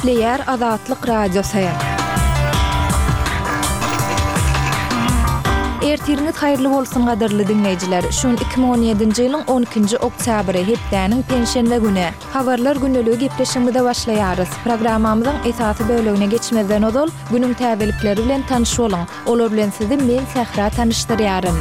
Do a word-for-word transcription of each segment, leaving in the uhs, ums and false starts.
Gepleýär Azatlyk Radiosy. Ertiriňiz haýyrly bolsun gadyrly diňleýjiler. Şu gün iki müň on ýedinji ýylyň on ikinji oktýabry, hepdäniň penşenbe güni. Habarlar gündeligi gepleşigimize başlaýarys. Programmamyzyň esasy bölegine geçmezden ozal, günüň täzelikleri bilen tanyş boluň. Olar bilen sizi men Sähra tanyşdyrýaryn.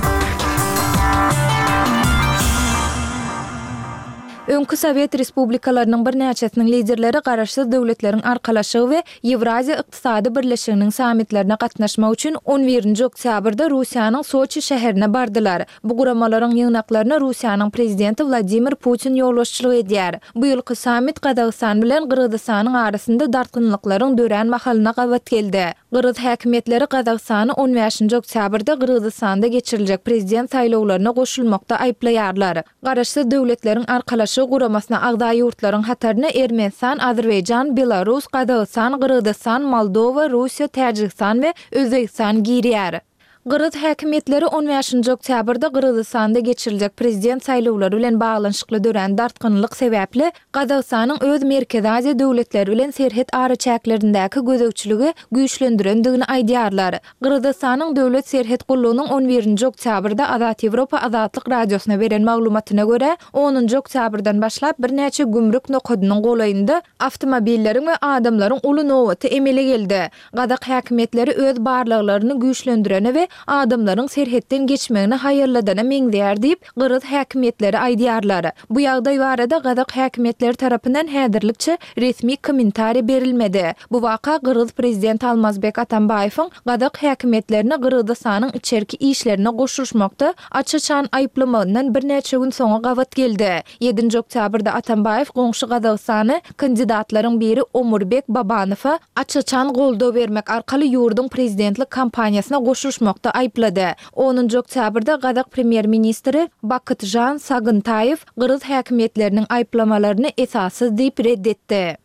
Öňki sowet respublikalarynyň birnäçesiniň liderleri Garaşsyz Döwletleriň Arkalaşygy we Ýewraziýa Ykdysady Birleşiginiň sammitlerine gatnaşmak üçin on birinji oktýabrda Russiýanyň Soçi şäherine bardylar. Bu guramalaryň ýygnaklaryna Russiýanyň Prezidenti Wladimir Putin ýolbaşçylyk edýär. Bu ýylky sammit Gazagystan bilen Gyrgyzystanyň arasynda dartgynlyklaryň dörän mahalyna gabat geldi. Gyrgyz häkimiýetleri Gazagystany on bäşinji oktýabrda Gyrgyzystanda geçiriljek prezident saýlawlaryna goşulmakda aýyplaýarlar. Garaşsyz Döwletleriň Arkalaşygy guramasyna agza ýurtlaryň hataryna Ermenistan, Azerbaýjan, Belarus, Gazagystan, Gyrgyzystan, Moldowa, Russiýa, Täjigistan we Özbegistan girýär. Gyrgyz häkimiýetleri on bäşinji oktýabrda Gyrgyzystanda geçiriljek prezident saýlawlary bilen baglanyşykly dörän dartgynlyk sebäpli Gazagystanyň öz Merkezi Aziýa döwletleri bilen serhet araçäklerindäki gözegçiligi güýçlendirendigini aýdýarlar. Gyrgyzystanyň Döwlet serhet gullugynyň on birinji oktýabrda Azat Ýewropa Azatlyk Radiosyna beren maglumatyna görä, onunjy oktýabrdan başlap birnäçe gümrük nokadynyň golaýynda awtomobilleriň we adamlaryň uly nobaty emele geldi. Gazak häkimiýetleri öz barlaglaryny güýçlendirene we adamlaryň serhetden geçmegini haýalladana meňzeýär diýip, gyrgyz häkimiýetleri aýdýarlar. Bu ýagdaý barada gazak häkimiýetleri tarapyndan häzirlikçe resmi kommentariý berilmedi. Bu waka gyrgyz prezidenti Almazbek Atambaýewiň gazak häkimiýetlerini Gyrgyzystanyň içerki işlerine goşulyşmakda aç-açan aýyplamagyndan birnäçe gün soňa gabat geldi. Ýedinji oktýabrda Atambaýew goňşy Gazagystany kandidatlaryň biri Omurbek Babanowa aç-açan goldaw bermek arkaly ýurduň prezidentlik kampaniýasyna goşulyşmakda aýyplady. Onunjy oktýabrda gazak premýer-ministri Bakytžan Sagyntaýew gyrgyz häkimiýetleriniň aýyplamalaryny esassyz diýip red etdi.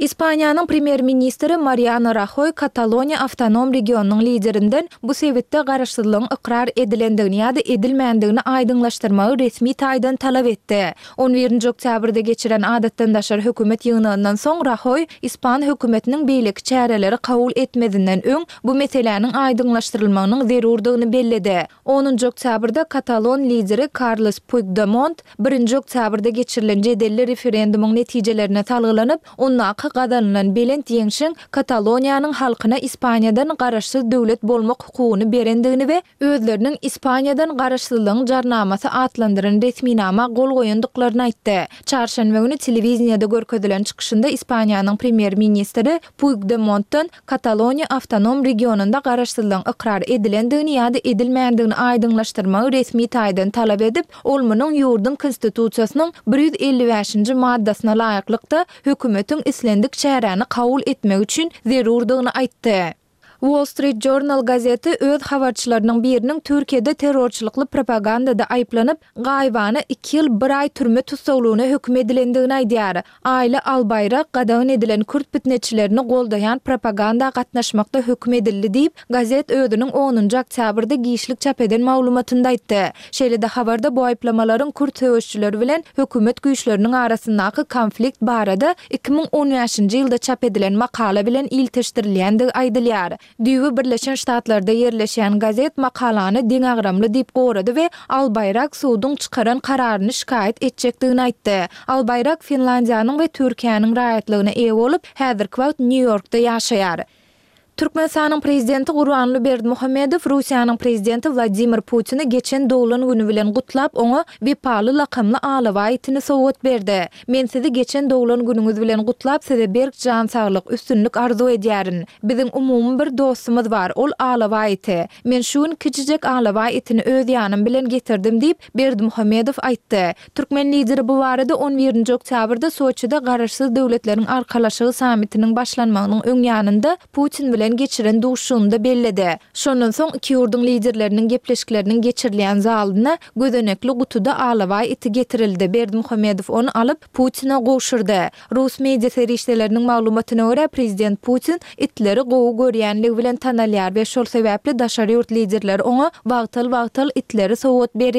Ispaniýanyň premýer-ministri Mariano Rahoý Kataloniýa awtonom regionynyň liderinden bu sebitde garaşsyzlygyň ykrar edilendigini ýa-da edilmändigini aýdyňlaşdyrmagy resmi taýdan talap etdi. On birinji oktýabrda geçiren adatdan daşary hökümet ýygnagyndan soň Rahoý ispan hökümetiniň beýleki çäreleri kabul etmezinden öň bu meseläniň aýdyňlaşdyrylmagynyň zerurdygyny belledi. Onunjy oktýabrda katalon lideri Karles Puigdemont birinji oktýabrda geçirilen jedelli referendumyň netijelerine salgylanyp, ondaky gazanylan belent ýeňşiň Kataloniýanyň halkyna Ispaniýadan garaşsyz döwlet bolmak hukugyny berendigini we özleriniň Ispaniýadan garaşsyzlygyň jarnamasy atlandyran resminama gol goýandyklaryny aýtdy. Çarşenbe güni telewideniýede görkezilen çykyşynda Ispaniýanyň premýer-ministri Puigdemontdan Kataloniýa awtonom regionynda garaşsyzlygyň ykrar edilendigini ýa-da edilmändigini aýdyňlaşdyrmagy resmi taýdan talap edip, ol munuň ýurduň Konstitusiýasynyň bir ýüz elli bäşinji maddasyna laýyklykda hökümetiň islendik çäräni kabul etmegi üçin zerurdygyny aýtdy. Wall Street Journal gazeti öz habarçylarynyň biriniň Türkiýede terrorçylykly propagandada aýyplanyp, gaýybana iki ýyl bir aý türme tussaglygyna höküm edilendigini aýdýar. Aýla Albaýrak gadagan edilen kürt pitneçilerini goldaýan propaganda gatnaşmakda höküm edildi diýip, gazet özüniň onunjy oktýabrda giçlik çap eden maglumatynda aýtdy. Şeýle-de habarda bu aýyplamalaryň kürt söweşijileri bilen hökümet güýçleriniň arasyndaky konflikt barada iki müň on bäşinji ýylda çap edilen makala bilen ilteşdirilýändigi aýdylýar. Düýbi Birleşen Ştatlarda ýerleşýän gazet makalany deňagramly diýip gorady we Albaýrak suduň çykaran kararyny şikaýat etjekdigini aýtdy. Albaýrak Finlandiýanyň we Türkiýäniň raýatlygyna eýe bolup, häzirki wagt Nýu-Ýorkda ýaşaýar. Türkmenistanyň Prezidenti Gurbanguly Berdimuhamedow Russiýanyň Prezidenti Wladimir Putini geçen doglan güni bilen gutlap, oňa Wepaly lakamly alabaý itini sowgat berdi. Men sizi geçen doglan günüňiz bilen gutlap, size berk jan saglyk, üstünlik arzuw edýärin. Biziň umumy bir dostumyz bar, ol alabaý iti. Men şu gün kiçijek alabaý itini öz ýanym bilen getirdim diýip, Berdimuhamedow aýtdy. Türkmen Lideri bu barada on birinji oktýabrda Soçide Garaşsyz Döwletleriň Arkalaşygy sammitiniň başlanmagynyň öň ýanynda Putin bilen geçiren duşuşygynda belledi. Şondan soň iki ýurduň Liderleriniň gepleşikleriniň geçirilýän zalyna gözenekli gutuda alabaý iti getirildi, Berdimuhamedow ony alyp, Putine gowşurdy. Rus media serişdeleriniň maglumatyna görä, prezident Putin itleri gowy görýänligi bilen tanalýar we şol sebäpli daşary ýurt liderleri oňa wagtal-wagtal itleri sowgat berýärler.